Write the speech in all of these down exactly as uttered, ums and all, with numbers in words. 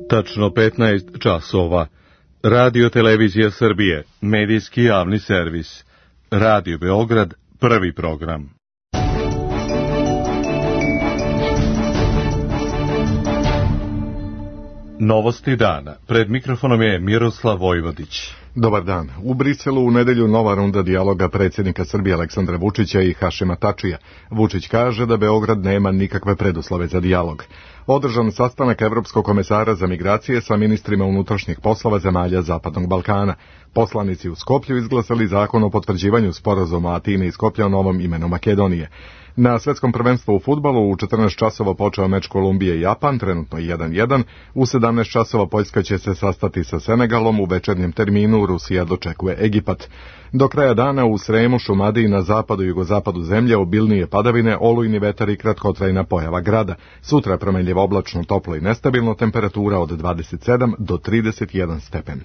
Tačno petnaest časova. Radio Televizija Srbije, medijski javni servis. Radio Beograd, prvi program. Novosti dana. Pred mikrofonom je Miroslav Vojvodić. Dobar dan. U Briselu u nedelju nova runda dijaloga predsjednika Srbije Aleksandra Vučića i Hašima Tačija. Vučić kaže da Beograd nema nikakve preduslove za dijalog. Održan sastanak Evropskog komesara za migracije sa ministrima unutrašnjih poslova zemalja Zapadnog Balkana. Poslanici u Skoplju izglasali zakon o potvrđivanju sporazuma Atine i Skoplja o novom imenu Makedonije. Na svetskom prvenstvu u fudbalu u četrnaest časova počeo meč Kolumbije i Japan, trenutno jedan jedan. U sedamnaest časova Poljska će se sastati sa Senegalom, u večernjem terminu Rusija dočekuje Egipat. Do kraja dana u Sremu, Šumadiji, na zapadu i jugozapadu zemlje obilnije padavine, olujni vetar i kratkotrajna pojava grada. Sutra promenljivo oblačno, toplo i nestabilno, temperatura od dvadeset sedam do trideset jedan stepen.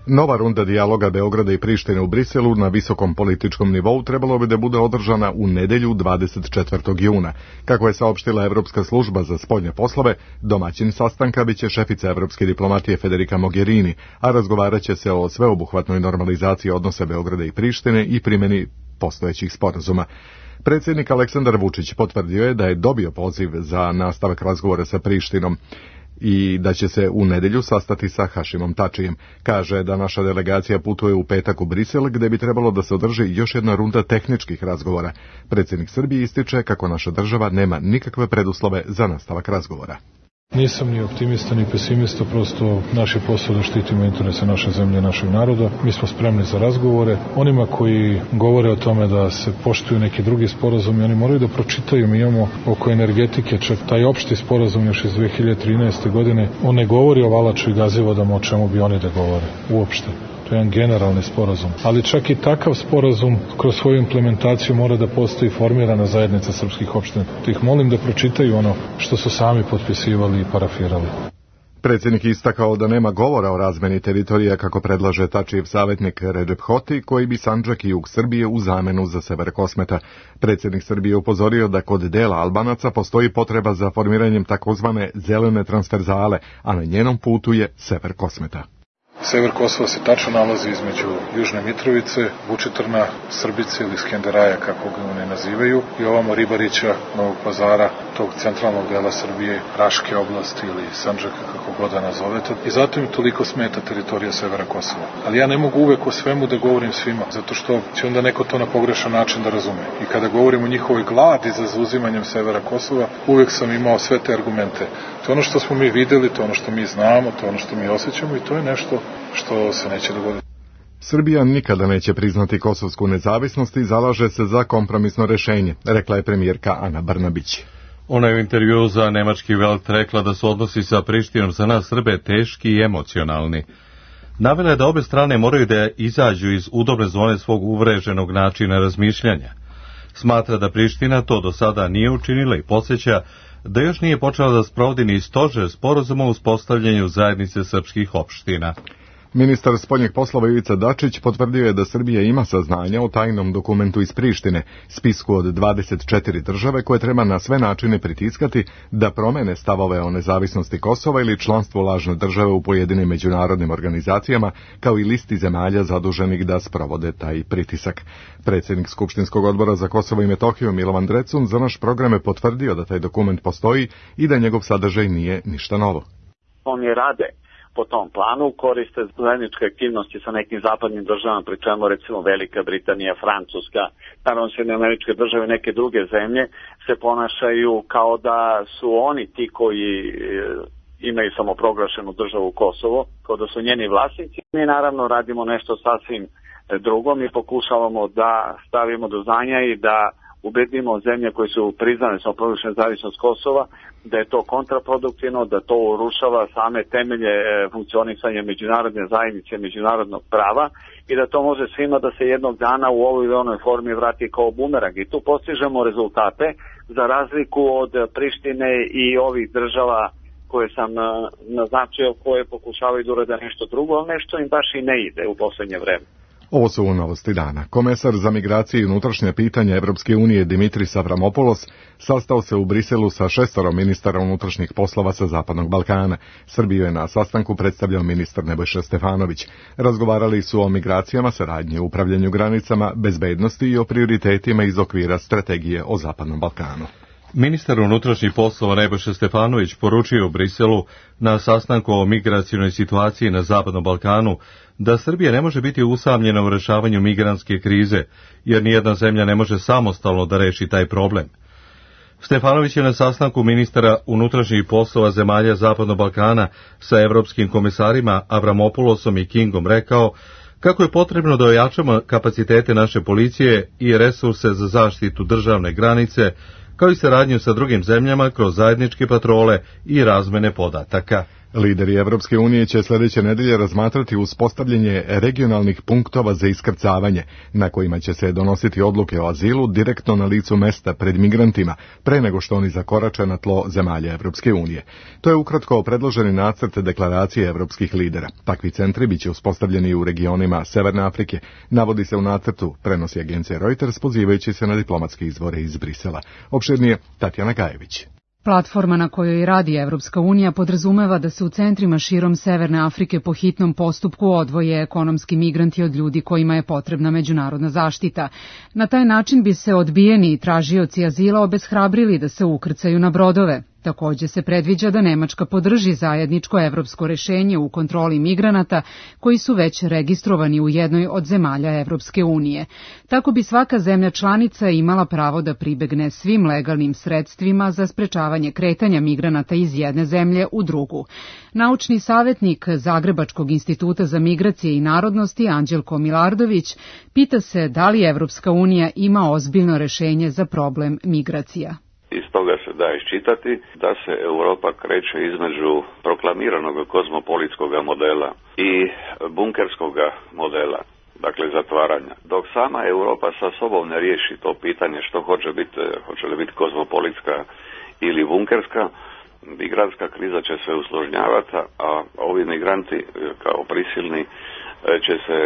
Nova runda dijaloga Beograda i Prištine u Briselu na visokom političkom nivou trebalo bi da bude održana u nedelju dvadeset četvrtog juna. Kako je saopštila Evropska služba za spoljne poslove, domaćin sastanka biće šefica evropske diplomatije Federica Mogherini, a razgovarat će se o sveobuhvatnoj normalizaciji odnosa Beograda i Prištine i primjeni postojećih sporazuma. Predsjednik Aleksandar Vučić potvrdio je da je dobio poziv za nastavak razgovora sa Prištinom i da će se u nedelju sastati sa Hašimom Tačijem. Kaže da naša delegacija putuje u petak u Brisel, gde bi trebalo da se održi još jedna runda tehničkih razgovora. Predsjednik Srbije ističe kako naša država nema nikakve preduslove za nastavak razgovora. Nisam ni optimista ni pesimista, prosto naš je posao da štitimo interese naše zemlje i našeg naroda. Mi smo spremni za razgovore. Onima koji govore o tome da se poštuju neki drugi sporazumi, oni moraju da pročitaju. Mi imamo oko energetike čak taj opšti sporazum još iz dve hiljade trinaeste. godine. On ne govori o Valaču i Gazivodama, o čemu bi oni da govore uopšte. To je jedan generalni sporazum. Ali čak i takav sporazum kroz svoju implementaciju mora da postoji formirana zajednica srpskih opština. Ih molim da pročitaju ono što su sami potpisivali i parafirali. Predsjednik istakao da nema govora o razmeni teritorija kako predlaže Tačijev savjetnik Redžep Hoti, koji bi Sandžak i jug Srbije u zamenu za sever Kosmeta. Predsjednik Srbije upozorio da kod dela Albanaca postoji potreba za formiranjem takozvane zelene transverzale, a na njenom putu je sever Kosmeta. Sever Kosova se tačno nalazi između Južne Mitrovice, Vučitrna, Srbice ili Skenderaja, kako ga oni nazivaju, i ovamo Ribarića, Novog Pazara, tog centralnog dela Srbije, Raške oblasti ili Sandžaka, kako god da nazovete. I zato im toliko smeta teritorija severa Kosova. Ali ja ne mogu uvek o svemu da govorim svima, zato što će onda neko to na pogrešan način da razume. I kada govorim o njihovoj gladi za zauzimanjem severa Kosova, uvek sam imao sve te argumente. To je ono što smo mi videli, to je ono što mi znamo, to je ono što mi osjećamo i to je nešto što se neće dogoditi. Srbija nikada neće priznati kosovsku nezavisnost i zalaže se za kompromisno rešenje, rekla je premijerka Ana Brnabić. Ona je u intervjuu za nemački Welt rekla da su odnosi sa Prištinom za nas Srbe teški i emocionalni. Navela je da obe strane moraju da izađu iz udobne zone svog uvreženog načina razmišljanja. Smatra da Priština to do sada nije učinila i podsjeća da još nije počela da sprovodi ni stožer sporazuma o uspostavljanju zajednice srpskih opština. Ministar spoljnih poslova Ivica Dačić potvrdio je da Srbija ima saznanja o tajnom dokumentu iz Prištine, spisku od dvadeset četiri države koje treba na sve načine pritiskati da promene stavove o nezavisnosti Kosova ili članstvo lažne države u pojedinim međunarodnim organizacijama, kao i listi zemalja zaduženih da sprovode taj pritisak. Predsjednik Skupštinskog odbora za Kosovo i Metohiju Milovan Drecun za naš program je potvrdio da taj dokument postoji i da njegov sadržaj nije ništa novo. Oni rade po tom planu, koriste zajedničke aktivnosti sa nekim zapadnim državama, pri čemu recimo Velika Britanija, Francuska, naravno Sjedinjene Američke Države i neke druge zemlje se ponašaju kao da su oni ti koji e, imaju samoproglašenu državu Kosovo, kao da su njeni vlasnici. Mi naravno radimo nešto sasvim drugo, mi pokušavamo da stavimo do znanja i da ubedimo zemlje koje su priznane samoproglašenu nezavisnost Kosova, da je to kontraproduktivno, da to urušava same temelje funkcionisanja međunarodne zajednice, međunarodnog prava i da to može svima da se jednog dana u ovoj ili onoj formi vrati kao bumerang. I tu postižemo rezultate za razliku od Prištine i ovih država koje sam naznačio, koje pokušavaju da urade nešto drugo, ali nešto im baš i ne ide u poslednje vreme. Ovo su novosti dana. Komesar za migracije i unutrašnje pitanja Evropske unije Dimitris Avramopoulos sastao se u Briselu sa šestoro ministara unutrašnjih poslova sa Zapadnog Balkana. Srbiju je na sastanku predstavljao ministar Nebojša Stefanović. Razgovarali su o migracijama, saradnji u upravljanju granicama, bezbednosti i o prioritetima iz okvira strategije o Zapadnom Balkanu. Ministar unutrašnjih poslova Nebojša Stefanović poručio u Briselu na sastanku o migracionoj situaciji na Zapadnom Balkanu da Srbija ne može biti usamljena u rešavanju migrantske krize, jer nijedna zemlja ne može samostalno da reši taj problem. Stefanović je na sastanku ministara unutrašnjih poslova zemalja Zapadnog Balkana sa evropskim komisarima Avramopoulosom i Kingom rekao kako je potrebno da ojačamo kapacitete naše policije i resurse za zaštitu državne granice, kao i saradnju sa drugim zemljama kroz zajedničke patrole i razmene podataka. Lideri Evropske unije će sljedeće nedelje razmatrati uspostavljanje regionalnih punktova za iskrcavanje, na kojima će se donositi odluke o azilu direktno na licu mesta pred migrantima, pre nego što oni zakorače na tlo zemalja Evropske unije. To je ukratko predloženi nacrt deklaracije evropskih lidera. Takvi centri biće uspostavljeni u regionima Severne Afrike, navodi se u nacrtu, prenosi agencija Reuters, pozivajući se na diplomatske izvore iz Brisela. Opširnije Tatjana Gajević. Platforma na kojoj radi Evropska unija podrazumeva da se u centrima širom Severne Afrike po hitnom postupku odvoje ekonomski migranti od ljudi kojima je potrebna međunarodna zaštita. Na taj način bi se odbijeni tražioci azila obeshrabrili da se ukrcaju na brodove. Takođe se predviđa da Nemačka podrži zajedničko evropsko rešenje u kontroli migranata koji su već registrovani u jednoj od zemalja Evropske unije. Tako bi svaka zemlja članica imala pravo da pribegne svim legalnim sredstvima za sprečavanje kretanja migranata iz jedne zemlje u drugu. Naučni savjetnik Zagrebačkog instituta za migracije i narodnosti Anđelko Milardović pita se da li Evropska unija ima ozbiljno rešenje za problem migracija. Iz toga se da iščitati da se Europa kreće između proklamiranog kozmopolitskog modela i bunkerskog modela, dakle zatvaranja. Dok sama Europa sa sobom ne riješi to pitanje što hoće biti, hoće li biti kozmopolitska ili bunkerska, migrantska kriza će se usložnjavati, a ovi migranti kao prisilni će se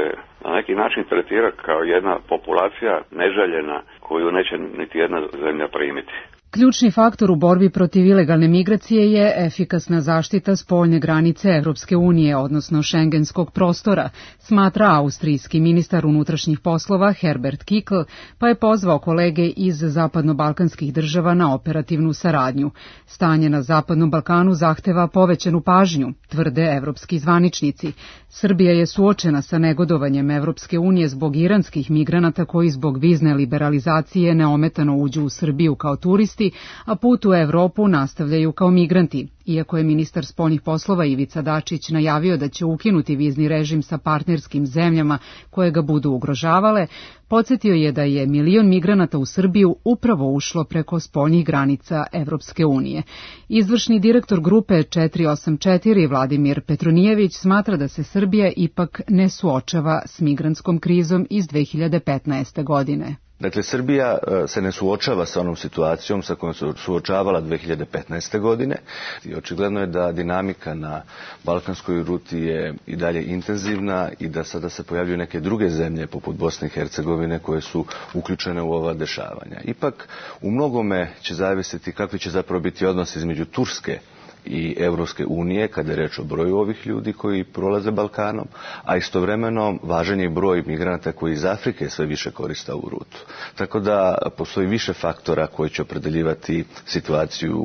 na neki način tretirati kao jedna populacija neželjena koju neće niti jedna zemlja primiti. Ključni faktor u borbi protiv ilegalne migracije je efikasna zaštita spoljne granice Evropske unije, odnosno šengenskog prostora, smatra austrijski ministar unutrašnjih poslova Herbert Kickl, pa je pozvao kolege iz zapadno-balkanskih država na operativnu saradnju. Stanje na Zapadnom Balkanu zahteva povećanu pažnju, tvrde evropski zvaničnici. Srbija je suočena sa negodovanjem Evropske unije zbog iranskih migranata koji zbog vizne liberalizacije neometano uđu u Srbiju kao turisti, a put u Evropu nastavljaju kao migranti. Iako je ministar spoljnih poslova Ivica Dačić najavio da će ukinuti vizni režim sa partnerskim zemljama koje ga budu ugrožavale, podsjetio je da je milion migranata u Srbiju upravo ušlo preko spoljnih granica Evropske unije. Izvršni direktor grupe četiri osam četiri Vladimir Petronijević smatra da se Srbija ipak ne suočava s migrantskom krizom iz dve hiljade petnaeste. godine. Dakle, Srbija se ne suočava sa onom situacijom sa kojom se suočavala dve hiljade petnaeste. godine i očigledno je da dinamika na balkanskoj ruti je i dalje intenzivna i da sada se pojavljuju neke druge zemlje poput Bosne i Hercegovine koje su uključene u ova dešavanja. Ipak, u mnogome će zavisiti kakvi će zapravo biti odnos između Turske i Evropske unije, kada je reč o broju ovih ljudi koji prolaze Balkanom, a istovremeno važan je broj migranata koji iz Afrike sve više koriste ovu rutu. Tako da postoji više faktora koji će opredeljivati situaciju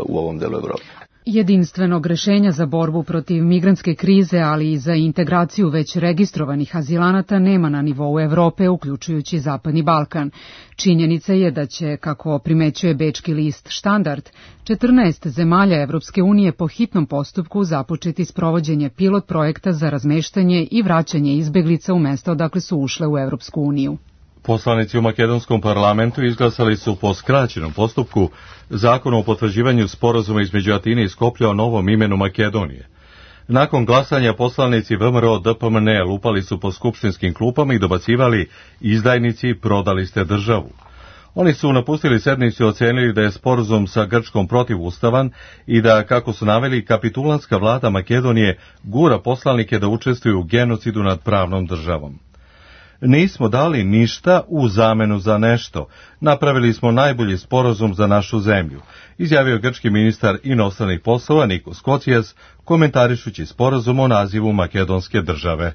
u ovom delu Evrope. Jedinstvenog rešenja za borbu protiv migrantske krize, ali i za integraciju već registrovanih azilanata nema na nivou Evrope, uključujući Zapadni Balkan. Činjenica je da će, kako primećuje bečki list Štandard, četrnaest zemalja Evropske unije po hitnom postupku započeti sprovođenje pilot projekta za razmeštanje i vraćanje izbeglica u mesta odakle su ušle u Evropsku uniju. Poslanici u makedonskom parlamentu izglasali su po skraćenom postupku zakon o potvrđivanju sporazuma između Atine i Skoplja o novom imenu Makedonije. Nakon glasanja poslanici V M R O D P M N lupali su po skupštinskim klupama i dobacivali: izdajnici, prodali ste državu. Oni su napustili sednicu i ocenili da je sporazum sa Grčkom protivustavan i da, kako su naveli, kapitulanska vlada Makedonije gura poslanike da učestvuju u genocidu nad pravnom državom. Nismo dali ništa u zamenu za nešto. Napravili smo najbolji sporazum za našu zemlju, izjavio grčki ministar inostranih poslova Nikos Kocijas, komentarišući sporazum o nazivu makedonske države.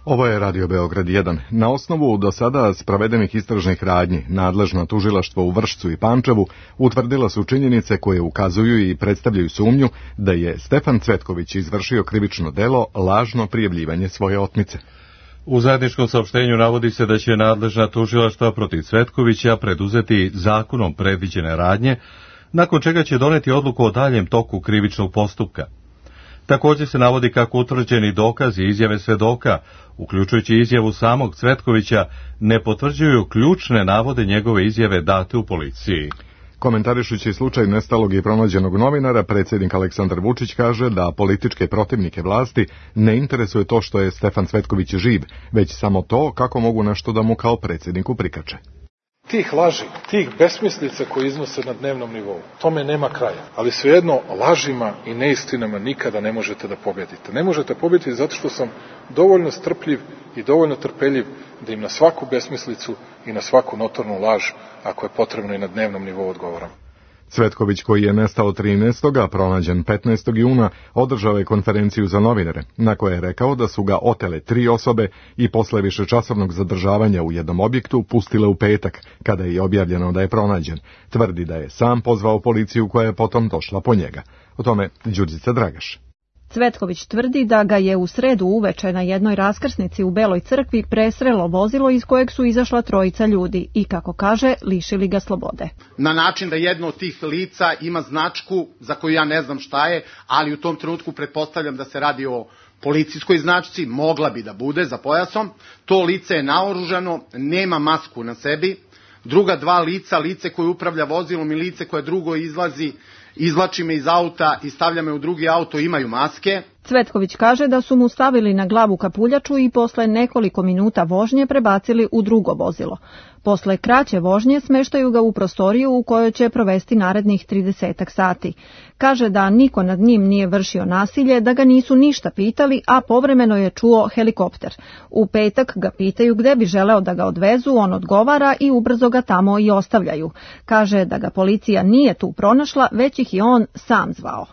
Ovo je Radio Beograd jedan. Na osnovu do sada sprovedenih istražnih radnji, nadležno tužilaštvo u Vršcu i Pančevu utvrdila su činjenice koje ukazuju i predstavljaju sumnju da je Stefan Cvetković izvršio krivično delo lažno prijavljivanje svoje otmice. U zajedničkom saopštenju navodi se da će nadležna tužilaštva protiv Cvetkovića preduzeti zakonom predviđene radnje, nakon čega će doneti odluku o daljem toku krivičnog postupka. Također se navodi kako utvrđeni dokazi i izjave svedoka, uključujući izjavu samog Cvetkovića, ne potvrđuju ključne navode njegove izjave date u policiji. Komentarišući slučaj nestalog i pronađenog novinara, predsjednik Aleksandar Vučić kaže da političke protivnike vlasti ne interesuje to što je Stefan Cvetković živ, već samo to kako mogu nešto da mu kao predsjedniku prikače. Tih laži, tih besmislica koje iznose na dnevnom nivou, tome nema kraja. Ali svejedno, lažima i neistinama nikada ne možete da pobjedite. Ne možete pobjediti zato što sam dovoljno strpljiv i dovoljno trpeljiv da im na svaku besmislicu i na svaku notornu laž, ako je potrebno i na dnevnom nivou, odgovoram. Cvetković, koji je nestao trinaestog a pronađen petnaestog juna, održao je konferenciju za novinare, na kojoj je rekao da su ga otele tri osobe i posle višečasovnog zadržavanja u jednom objektu pustile u petak, kada je objavljeno da je pronađen. Tvrdi da je sam pozvao policiju koja je potom došla po njega. O tome Đurđica Dragaš. Cvetković tvrdi da ga je u sredu uveče na jednoj raskrsnici u Beloj crkvi presrelo vozilo iz kojeg su izašla trojica ljudi i, kako kaže, lišili ga slobode. Na način da jedno od tih lica ima značku za koju ja ne znam šta je, ali u tom trenutku pretpostavljam da se radi o policijskoj značci, mogla bi da bude za pojasom. To lice je naoružano, nema masku na sebi. Druga dva lica, lice koje upravlja vozilom i lice koje drugo izlazi, izvlači me iz auta i stavlja me u drugi auto, imaju maske. Cvetković kaže da su mu stavili na glavu kapuljaču i posle nekoliko minuta vožnje prebacili u drugo vozilo. Posle kraće vožnje smeštaju ga u prostoriju u kojoj će provesti narednih tridesetak sati. Kaže da niko nad njim nije vršio nasilje, da ga nisu ništa pitali, a povremeno je čuo helikopter. U petak ga pitaju gde bi želeo da ga odvezu, on odgovara i ubrzo ga tamo i ostavljaju. Kaže da ga policija nije tu pronašla, već ih je on sam zvao.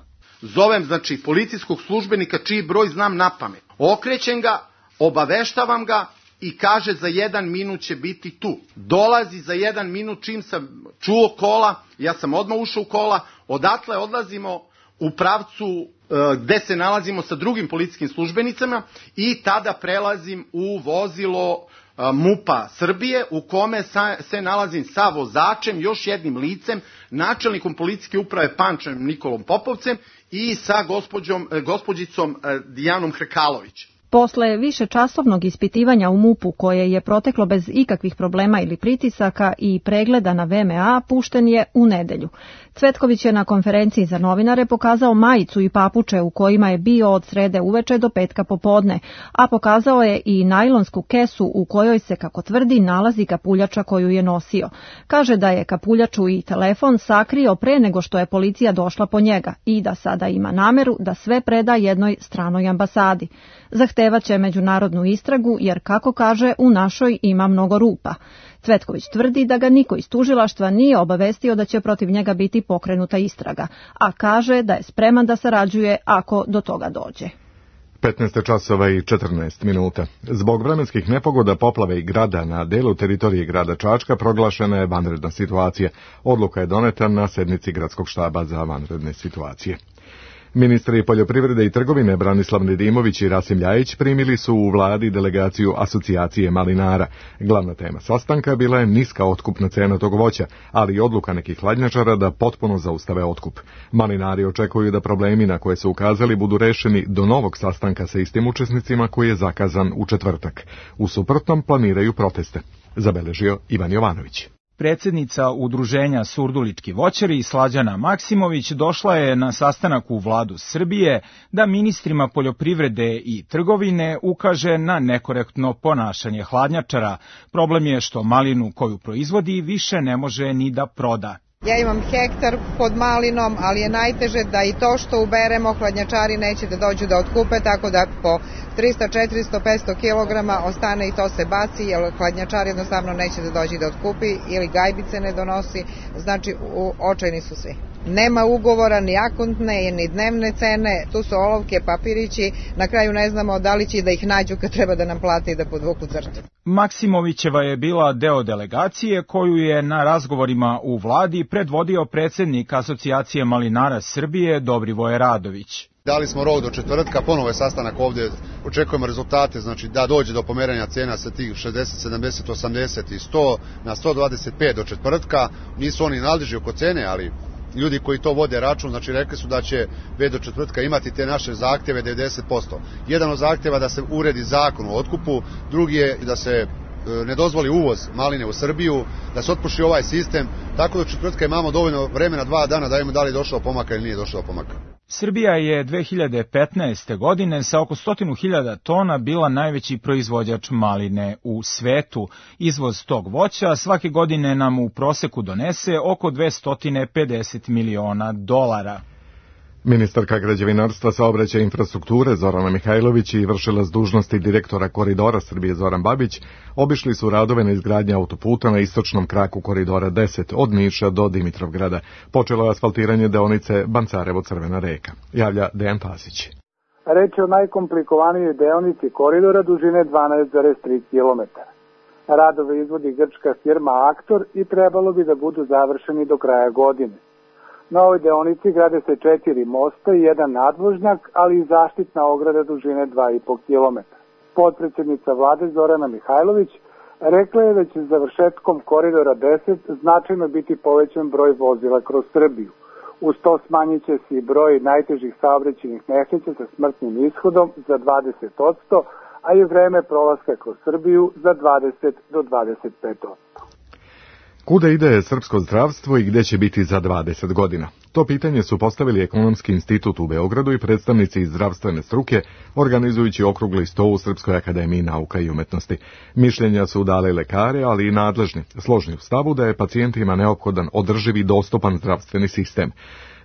Zovem, znači, policijskog službenika čiji broj znam napamet. Okrećem ga, obaveštavam ga i kaže za jedan minut će biti tu. Dolazi za jedan minut, čim sam čuo kola, ja sam odmah ušao u kola, odatle odlazimo u pravcu e, gde se nalazimo sa drugim policijskim službenicama i tada prelazim u vozilo e, MUP-a Srbije u kome sa, se nalazim sa vozačem, još jednim licem, načelnikom policijske uprave Pančevem Nikolom Popovcem i sa gospođom, gospođicom Dijanom Hrkalović. Posle višečasovnog ispitivanja u MUP-u, koje je proteklo bez ikakvih problema ili pritisaka i pregleda na V M A, pušten je u nedelju. Cvetković je na konferenciji za novinare pokazao majicu i papuče u kojima je bio od srede uveče do petka popodne, a pokazao je i najlonsku kesu u kojoj se, kako tvrdi, nalazi kapuljača koju je nosio. Kaže da je kapuljaču i telefon sakrio pre nego što je policija došla po njega i da sada ima nameru da sve preda jednoj stranoj ambasadi. Zahtevaće međunarodnu istragu jer, kako kaže, u našoj ima mnogo rupa. Cvetković tvrdi da ga niko iz tužilaštva nije obavestio da će protiv njega biti pokrenuta istraga, a kaže da je spreman da sarađuje ako do toga dođe. petnaest časova i četrnaest minuta. Zbog vremenskih nepogoda, poplave i grada na delu teritorije grada Čačka proglašena je vanredna situacija. Odluka je doneta na sednici gradskog štaba za vanredne situacije. Ministri poljoprivrede i trgovine Branislav Nedimović i Rasim Ljajić primili su u vladi delegaciju asocijacije malinara. Glavna tema sastanka bila je niska otkupna cena tog voća, ali i odluka nekih hladnjačara da potpuno zaustave otkup. Malinari očekuju da problemi na koje su ukazali budu rešeni do novog sastanka sa istim učesnicima koji je zakazan u četvrtak. U suprotnom planiraju proteste, zabeležio Ivan Jovanović. Predsjednica Udruženja Surdulički voćari Slađana Maksimović došla je na sastanak u vladu Srbije da ministrima poljoprivrede i trgovine ukaže na nekorektno ponašanje hladnjačara. Problem je što malinu koju proizvodi više ne može ni da proda. Ja imam hektar pod malinom, ali je najteže da i to što uberemo hladnjačari neće da dođu da otkupe, tako da po trista, četiristo, petsto kilograma ostane i to se baci, jer hladnjačar jednostavno neće da dođe da otkupi ili gajbice ne donosi, znači u očajni su svi. Nema ugovora, ni akontne, ni dnevne cene, tu su olovke, papirići, na kraju ne znamo da li će da ih nađu kad treba da nam plate i da podvuku crtu. Maksimovićeva je bila deo delegacije koju je na razgovorima u vladi predvodio predsednik Asocijacije malinara Srbije Dobrivoje Radović. Dali smo rok do četvrtka, ponovo je sastanak ovdje, očekujemo rezultate, znači da dođe do pomeranja cena sa tih šezdeset, sedamdeset, osamdeset i sto na sto dvadeset pet do četvrtka. Nisu oni nadležni oko cene, ali ljudi koji to vode račun, znači rekli su da će već do četvrtka imati te naše zahtjeve devedeset posto. Jedan od zahtjeva da se uredi zakon o otkupu, drugi je da se ne dozvoli uvoz maline u Srbiju, da se otpuši ovaj sistem, tako da četvrtka imamo dovoljno vremena, dva dana, da vidimo da li je došlo do pomaka ili nije došlo do pomaka. Srbija je dve hiljade petnaeste. godine sa oko stotinu hiljada tona bila najveći proizvođač maline u svetu. Izvoz tog voća svake godine nam u proseku donese oko dvesta pedeset miliona dolara. Ministarka građevinarstva, saobraćaja i infrastrukture Zorana Mihajlović i vršilac dužnosti direktora Koridora Srbije Zoran Babić obišli su radove na izgradnji autoputa na istočnom kraku Koridora deset od Niša do Dimitrovgrada. Počelo je asfaltiranje deonice Bancarevo-Crvena reka. Javlja Dejan Pasić. Reč je o najkomplikovanijoj deonici koridora dužine dvanaest zarez tri kilometra. Radove izvodi grčka firma Aktor i trebalo bi da budu završeni do kraja godine. Na ovoj deonici grade se četiri mosta i jedan nadvožnjak, ali i zaštitna ograda dužine dva i po kilometra. Potpredsjednica vlade Zorana Mihajlović rekla je da će završetkom koridora deset značajno biti povećan broj vozila kroz Srbiju. Uz to smanjit će se i broj najtežih saobraćajnih nesreća sa smrtnim ishodom za dvadeset posto, a i vreme prolaska kroz Srbiju za dvadeset do dvadeset pet posto. Kuda ide srpsko zdravstvo i gde će biti za dvadeset godina? To pitanje su postavili Ekonomski institut u Beogradu i predstavnici iz zdravstvene struke, organizujući okrugli sto u Srpskoj akademiji nauka i umetnosti. Mišljenja su dali lekare, ali i nadležni, složni u stavu da je pacijentima neophodan održiv i dostupan zdravstveni sistem.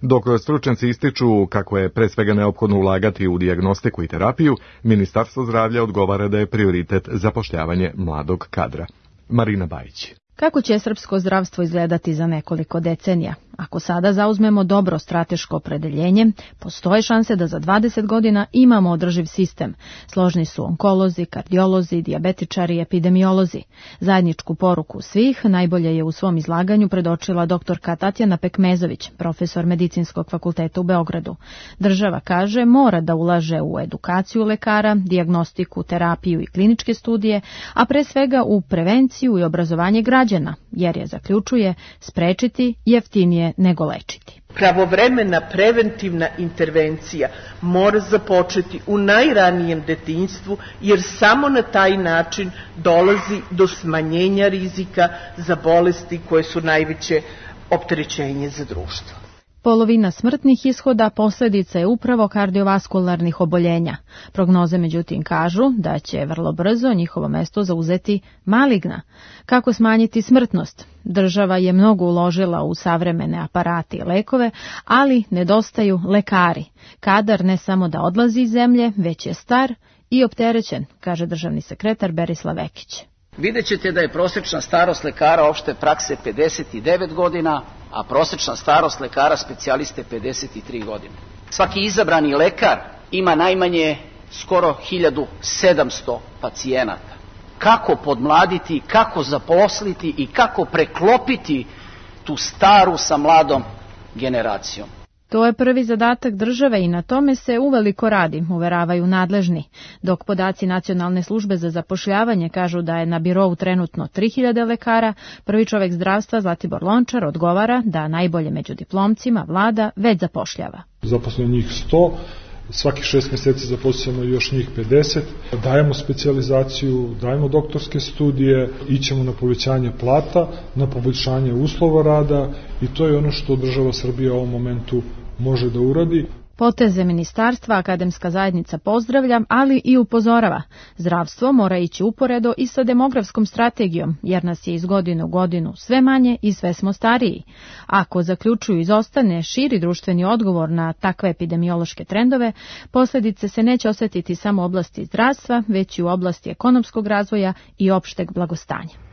Dok stručnjaci ističu kako je pre svega neophodno ulagati u dijagnostiku i terapiju, Ministarstvo zdravlja odgovara da je prioritet zapošljavanje mladog kadra. Marina Bajić. Kako će srpsko zdravstvo izgledati za nekoliko decenija? Ako sada zauzmemo dobro strateško opredeljenje, postoje šanse da za dvadeset godina imamo održiv sistem. Složni su onkolozi, kardiolozi, dijabetičari i epidemiolozi. Zajedničku poruku svih najbolje je u svom izlaganju predočila doktorka Tatjana Pekmezović, profesor Medicinskog fakulteta u Beogradu. Država, kaže, mora da ulaže u edukaciju lekara, dijagnostiku, terapiju i kliničke studije, a pre svega u prevenciju i obrazovanje građana, jer je, zaključuje, sprečiti jeftinije nego lečiti. Pravovremena preventivna intervencija mora započeti u najranijem detinjstvu, jer samo na taj način dolazi do smanjenja rizika za bolesti koje su najveće opterećenje za društvo. Polovina smrtnih ishoda posljedica je upravo kardiovaskularnih oboljenja. Prognoze međutim kažu da će vrlo brzo njihovo mesto zauzeti maligna. Kako smanjiti smrtnost? Država je mnogo uložila u savremene aparate i lekove, ali nedostaju lekari. Kadar ne samo da odlazi iz zemlje, već je star i opterećen, kaže državni sekretar Berislav Vekić. Vidjet ćete da je prosječna starost lekara opšte prakse pedeset devet godina, a prosječna starost lekara specijaliste pedeset tri godine. Svaki izabrani lekar ima najmanje skoro hiljadu sedamsto pacijenata. Kako podmladiti, kako zaposliti i kako preklopiti tu staru sa mladom generacijom? To je prvi zadatak države i na tome se uveliko radi, uveravaju nadležni. Dok podaci Nacionalne službe za zapošljavanje kažu da je na birou trenutno tri hiljade lekara, prvi čovek zdravstva Zlatibor Lončar odgovara da najbolje među diplomcima vlada već zapošljava. Zaposleno njih sto, svaki šest mjeseci zaposlimo još njih pedeset, dajemo specijalizaciju, dajemo doktorske studije, ićemo na povećanje plata, na poboljšanje uslova rada i to je ono što država Srbija u ovom momentu može da uradi. Poteze ministarstva akademska zajednica pozdravlja, ali i upozorava. Zdravstvo mora ići uporedo i sa demografskom strategijom, jer nas je iz godine u godinu sve manje i sve smo stariji. Ako zaključuju izostane širi društveni odgovor na takve epidemiološke trendove, posljedice se neće osjetiti samo u oblasti zdravstva, već i u oblasti ekonomskog razvoja i opšteg blagostanja.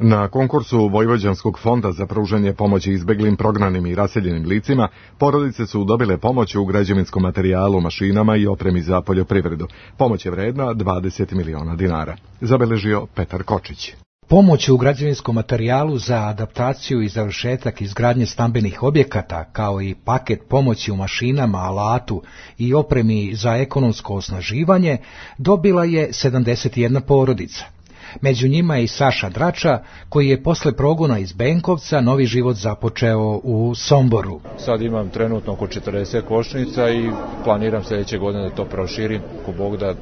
Na konkursu Vojvođanskog fonda za pružanje pomoći izbeglim, prognanim i raseljenim licima, porodice su dobile pomoć u građevinskom materijalu, mašinama i opremi za poljoprivredu. Pomoć je vredna dvadeset miliona dinara. Zabeležio Petar Kočić. Pomoć u građevinskom materijalu za adaptaciju i završetak izgradnje stambenih objekata, kao i paket pomoći u mašinama, alatu i opremi za ekonomsko osnaživanje, dobila je sedamdeset jedna porodica. Među njima je i Saša Drača, koji je posle progona iz Benkovca novi život započeo u Somboru. Sad imam trenutno oko četrdeset košnica i planiram sljedeće godine da to proširim, ako Bog da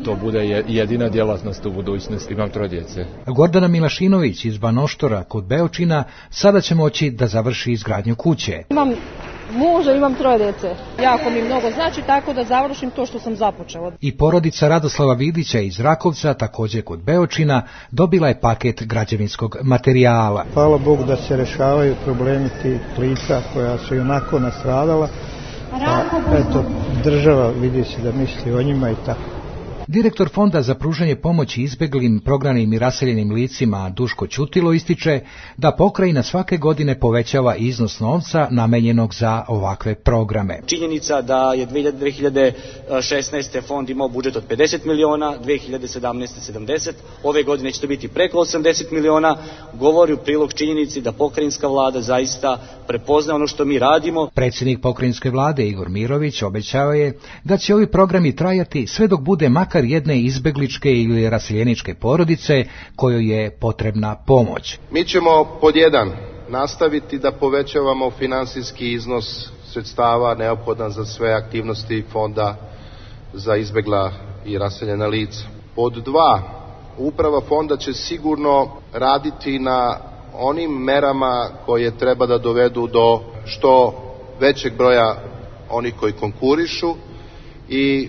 to bude jedina djelatnost u budućnosti. Imam troje djece. Gordana Milašinović iz Banoštora kod Beočina sada će moći da završi izgradnju kuće. Imam muža, imam troje djece. Jako mi mnogo znači, tako da završim to što sam započela. I porodica Radoslava Vidića iz Rakovca, također kod Beočina, dobila je paket građevinskog materijala. Hvala Bogu da se rešavaju problemi tih lica koja su onako nastradala. A eto, država vidi se da misli o njima i tako. Direktor Fonda za pružanje pomoći izbeglim, prognanim i raseljenim licima Duško Ćutilo ističe da pokrajina svake godine povećava iznos novca namenjenog za ovakve programe. Činjenica da je dve hiljade šesnaeste. fond imao budžet od pedeset miliona, dve hiljade sedamnaeste. sedamdeset, ove godine će to biti preko osamdeset miliona, govori u prilog činjenici da pokrajinska vlada zaista prepozna ono što mi radimo. Predsjednik pokrajinske vlade Igor Mirović obećao je da će ovi programi trajati sve dok bude makar jedne izbegličke ili raseljeničke porodice kojoj je potrebna pomoć. Mi ćemo pod jedan nastaviti da povećavamo finansijski iznos sredstava neophodan za sve aktivnosti fonda za izbegla i raseljena lica. Pod dva, uprava fonda će sigurno raditi na onim merama koje treba da dovedu do što većeg broja onih koji konkurišu i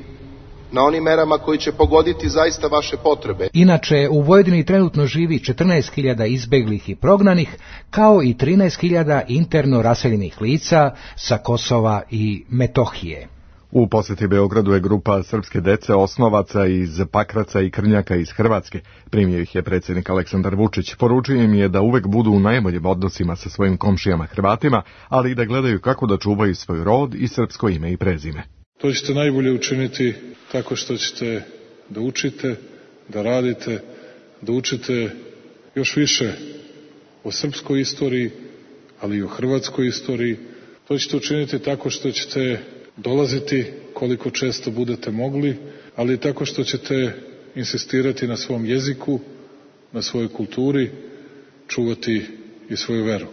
na onim merama koji će pogoditi zaista vaše potrebe. Inače, u Vojvodini trenutno živi četrnaest hiljada izbeglih i prognanih, kao i trinaest hiljada interno raseljenih lica sa Kosova i Metohije. U posjeti Beogradu je grupa srpske dece osnovaca iz Pakraca i Krnjaka iz Hrvatske. Primio ih je predsjednik Aleksandar Vučić. Poručio im je da uvek budu u najboljim odnosima sa svojim komšijama Hrvatima, ali i da gledaju kako da čuvaju svoj rod i srpsko ime i prezime. To ćete najbolje učiniti tako što ćete da učite, da radite, da učite još više o srpskoj istoriji, ali i o hrvatskoj istoriji. To ćete učiniti tako što ćete dolaziti koliko često budete mogli, ali i tako što ćete insistirati na svom jeziku, na svojoj kulturi, čuvati i svoju veru.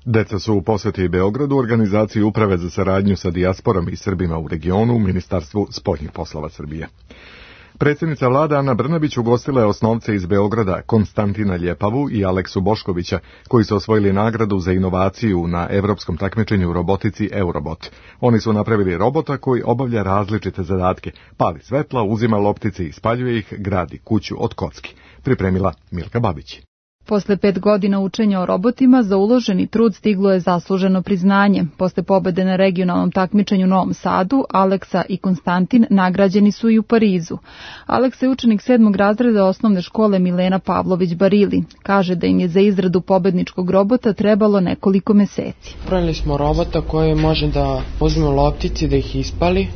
Deca su u posjeti Beogradu organizaciji Uprave za saradnju sa dijasporom i Srbima u regionu u Ministarstvu spoljnih poslova Srbije. Predsjednica vlade Ana Brnabić ugostila je osnovce iz Beograda Konstantina Ljepavu i Aleksu Boškovića, koji su osvojili nagradu za inovaciju na evropskom takmičenju u robotici Eurobot. Oni su napravili robota koji obavlja različite zadatke, pali svetla, uzima loptice i spaljuje ih, gradi kuću od kocki. Pripremila Milka Babić. Posle pet godina učenja o robotima za uloženi trud stiglo je zasluženo priznanje. Posle pobede na regionalnom takmičenju u Novom Sadu, Aleksa i Konstantin nagrađeni su i u Parizu. Aleksa je učenik sedmog razreda osnovne škole Milena Pavlović Barili. Kaže da im je za izradu pobedničkog robota trebalo nekoliko meseci. Pravili smo robota koji može da uzme loptici, da ih ispali,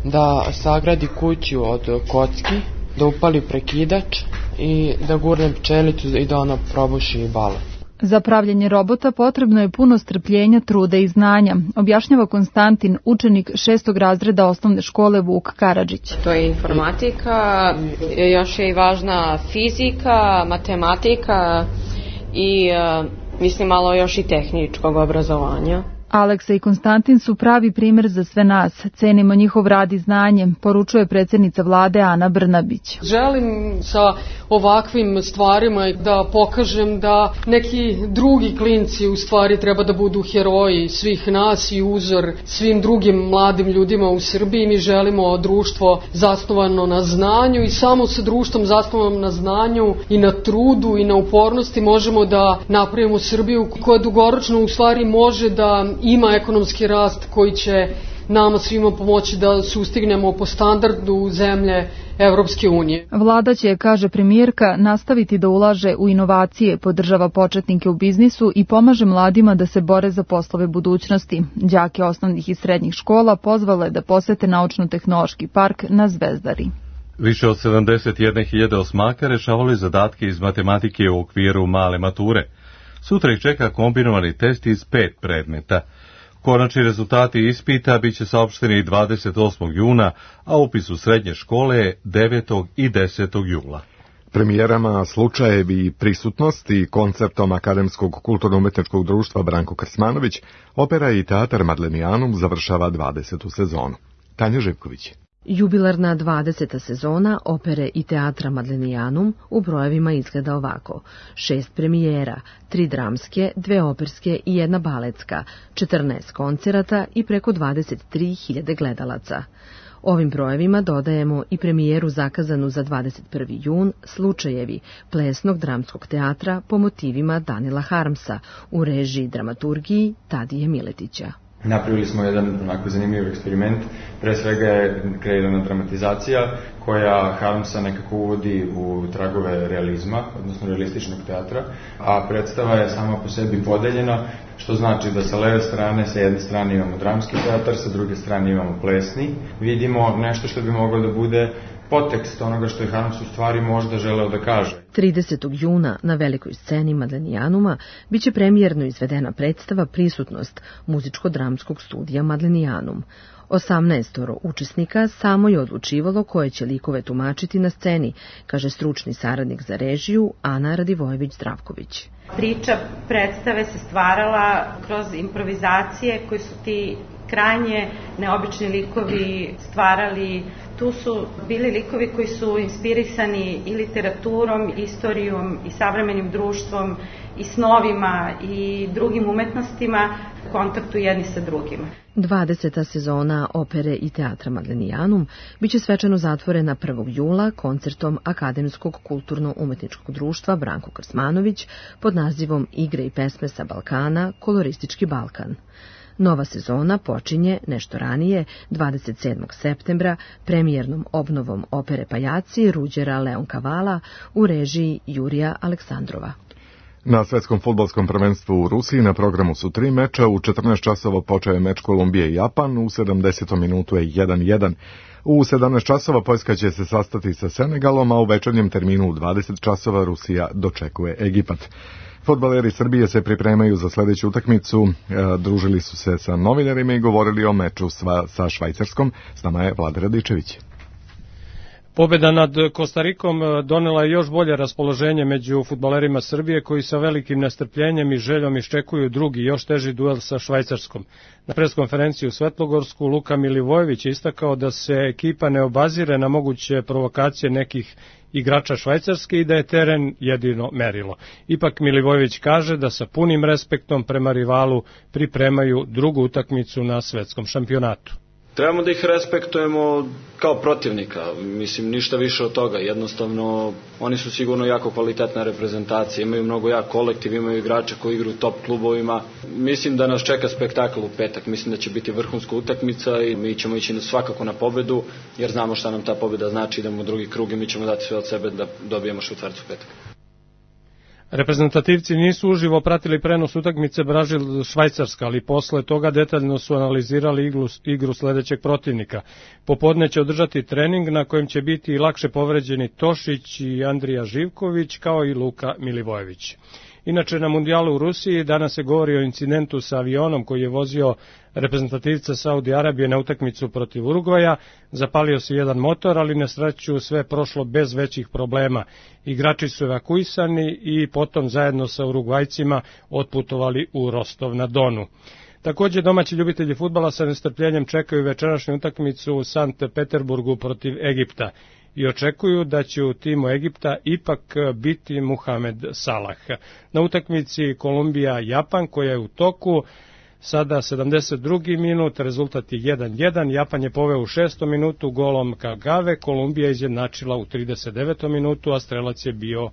da sagradi kuću od kocki, da upali prekidač i da gurne pčelicu i da ona probuši balon. Za pravljenje robota potrebno je puno strpljenja, truda i znanja, objašnjava Konstantin, učenik šestog razreda osnovne škole Vuk Karadžić. To je informatika, još je i važna fizika, matematika i mislim malo još i tehničkog obrazovanja. Aleksa i Konstantin su pravi primer za sve nas. Cenimo njihov rad i znanje, poručuje predsjednica vlade Ana Brnabić. Želim sa ovakvim stvarima da pokažem da neki drugi klinci u stvari treba da budu heroji svih nas i uzor svim drugim mladim ljudima u Srbiji. Mi želimo društvo zasnovano na znanju i samo sa društvom zasnovanom na znanju i na trudu i na upornosti možemo da napravimo Srbiju koja dugoročno u stvari može da ima ekonomski rast koji će nama svima pomoći da sustignemo po standardu zemlje Evropske unije. Vlada će, kaže premijerka, nastaviti da ulaže u inovacije, podržava početnike u biznisu i pomaže mladima da se bore za poslove budućnosti. Đake osnovnih i srednjih škola pozvala je da posete naučno-tehnološki park na Zvezdari. Više od sedamdeset jedne hiljade osmaka rešavali zadatke iz matematike u okviru male mature. Sutra ih čeka kombinovani test iz pet predmeta. Konačni rezultati ispita biće saopšteni dvadeset osmog juna, a upis u srednje škole je devetog i desetog jula. Premijerama, slučajevi i prisutnost i konceptom Akademskog kulturno-umetničkog društva Branko Krsmanović, opera i teatar Madlenijanum završava dvadesetu sezonu. Tanja Živković. Jubilarna dvadeseta sezona opere i teatra Madlenijanum u brojevima izgleda ovako. Šest premijera, tri dramske, dve operske i jedna baletska, četrnaest koncerata i preko dvadeset tri hiljade gledalaca. Ovim brojevima dodajemo i premijeru zakazanu za dvadeset prvi jun Slučajevi plesnog dramskog teatra po motivima Danila Harmsa u režiji dramaturgiji Tadije Miletića. Napravili smo jedan onako zanimljiv eksperiment, pre svega je kreirana dramatizacija koja Harmsa nekako uvodi u tragove realizma, odnosno realističnog teatra, a predstava je sama po sebi podeljena, što znači da sa leve strane, sa jedne strane imamo dramski teatar, sa druge strane imamo plesni. Vidimo nešto što bi moglo da bude potekst onoga što je Harms u stvari možda želeo da kaže. tridesetog juna na velikoj sceni Madlenijanuma biće premijerno izvedena predstava Prisutnost muzičko-dramskog studija Madlenijanum. osamnaestoro učesnika samo je odlučivalo koje će likove tumačiti na sceni, kaže stručni saradnik za režiju Ana Radivojević-Zdravković. Priča predstave se stvarala kroz improvizacije koji su ti krajnje neobični likovi stvarali. Tu su bili likovi koji su inspirisani i literaturom, i istorijom, i savremenim društvom, i snovima, i drugim umetnostima u kontaktu jedni sa drugima. dvadeseta sezona opere i teatra Madlenijanum biće svečano zatvorena prvog jula koncertom Akademskog kulturno-umetničkog društva Branko Krsmanović pod nazivom Igre i pesme sa Balkana, koloristički Balkan. Nova sezona počinje nešto ranije, dvadeset sedmog septembra, premijernom obnovom opere Pajaci Ruđera Leonkavala u režiji Jurija Aleksandrova. Na svetskom fudbalskom prvenstvu u Rusiji na programu su tri meča, u četrnaest časova počeo je meč Kolumbije i Japan, u sedamdesetom minutu je jedan jedan. U sedamnaest časova Poljska će se sastati sa Senegalom, a u večernjem terminu u dvadeset časova Rusija dočekuje Egipat. Fudbaleri Srbije se pripremaju za sljedeću utakmicu, e, družili su se sa novinarima i govorili o meču sva, sa Švajcarskom. S nama je Vlada Radičević. Pobjeda nad Kostarikom donela je još bolje raspoloženje među fudbalerima Srbije koji sa velikim nestrpljenjem i željom iščekuju drugi, još teži duel sa Švajcarskom. Na preskonferenciji u Svetlogorsku Luka Milivojević je istakao da se ekipa ne obazire na moguće provokacije nekih igrača Švajcarske i da je teren jedino merilo. Ipak Milivojević kaže da sa punim respektom prema rivalu pripremaju drugu utakmicu na svetskom šampionatu. Trebamo da ih respektujemo kao protivnika, mislim ništa više od toga, jednostavno oni su sigurno jako kvalitetna reprezentacija, imaju mnogo jak kolektiv, imaju igrače koji igraju u top klubovima, mislim da nas čeka spektakl u petak, mislim da će biti vrhunska utakmica i mi ćemo ići svakako na pobedu jer znamo šta nam ta pobeda znači, idemo u drugi krug i mi ćemo dati sve od sebe da dobijemo švajcarcu petak. Reprezentativci nisu uživo pratili prenos utakmice Brazil-Švajcarska, ali posle toga detaljno su analizirali igru, igru sledećeg protivnika. Popodne će održati trening na kojem će biti lakše povređeni Tošić i Andrija Živković kao i Luka Milivojević. Inače, na mundijalu u Rusiji danas se govori o incidentu sa avionom koji je vozio reprezentativca Saudi Arabije na utakmicu protiv Urugvaja. Zapalio se jedan motor, ali na sreću sve prošlo bez većih problema. Igrači su evakuisani i potom zajedno sa Urugvajcima otputovali u Rostov na Donu. Također domaći ljubitelji fudbala sa nestrpljenjem čekaju večerašnju utakmicu u Sankt Peterburgu protiv Egipta i očekuju da će u timu Egipta ipak biti Muhamed Salah. Na utakmici Kolumbija-Japan koja je u toku, sada sedamdeset drugi minut, rezultat je jedan jedan, Japan je poveo u šestom minutu golom Kagave, Kolumbija izjednačila u trideset devetom minutu, a strelac je bio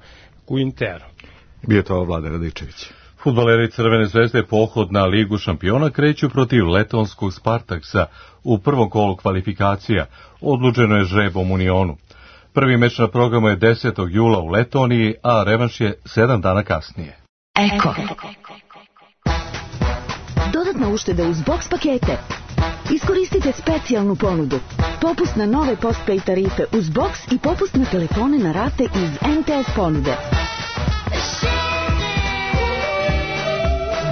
Quintero. Bio to Vlade Radičević. Fudbaleri Crvene zvezde pohod na Ligu šampiona kreću protiv letonskog Spartaksa u prvom kolu kvalifikacija, odlučeno je žrebom u Unionu. Prvi meč na programu je desetog jula u Letoniji, a revanš je sedam dana kasnije. Eko. Dodatna ušteda uz box pakete. Iskoristite specijalnu ponudu. Popust na nove postpay tarife uz box i popust na telefone na rate iz en te es ponude.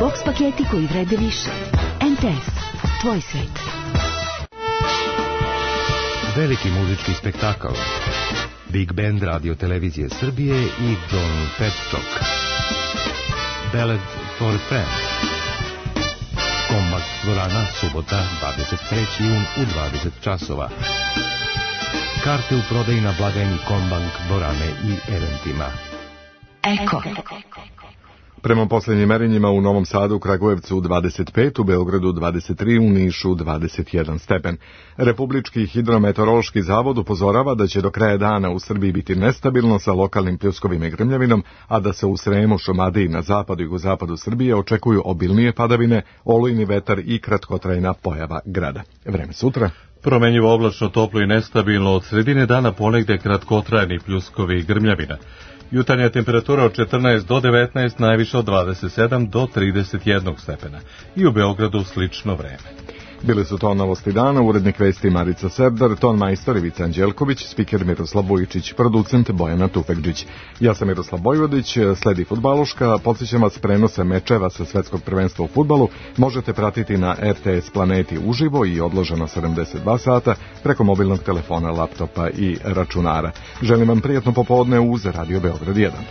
Box paketi koji vrede više. en te es. Tvoj svet. Veliki muzički spektakl. Big Band Radio Televizije Srbije i John Petchok. Ballad for a Friend. Kombakt dvorana, subota, dvadeset treći jun u dvadeset časova. Karte u prodaji na blagajni Kombank dvorane i eventima. Eko. Prema posljednjim merenjima u Novom Sadu, Kragujevcu dvadeset pet, u Beogradu dvadeset tri, u Nišu dvadeset jedan stepen. Republički hidrometeorološki zavod upozorava da će do kraja dana u Srbiji biti nestabilno sa lokalnim pljuskovima i grmljavinom, a da se u Sremu, Šumadiji, na zapadu i jugozapadu Srbije očekuju obilnije padavine, olujni vetar i kratkotrajna pojava grada. Vreme sutra. Promenjivo oblačno, toplo i nestabilno, od sredine dana ponegde kratkotrajni pljuskovi i grmljavina. Jutarnja temperatura od četrnaest do devetnaest, najviše od dvadeset sedam do trideset jedan stepena. I u Beogradu slično vreme. Bili su to novosti dana, urednik vesti Marica Serdar, ton majstor Ivica Anđelković, spiker Miroslav Bojičić, producent Bojana Tufekđić. Ja sam Miroslav Bojvodić, sledi Fudbaluška, podsjećam vas prenose mečeva sa svetskog prvenstva u fudbalu, možete pratiti na er te es Planeti uživo i odloženo sedamdeset dva sata preko mobilnog telefona, laptopa i računara. Želim vam prijatno popodne uz Radio Beograd jedan.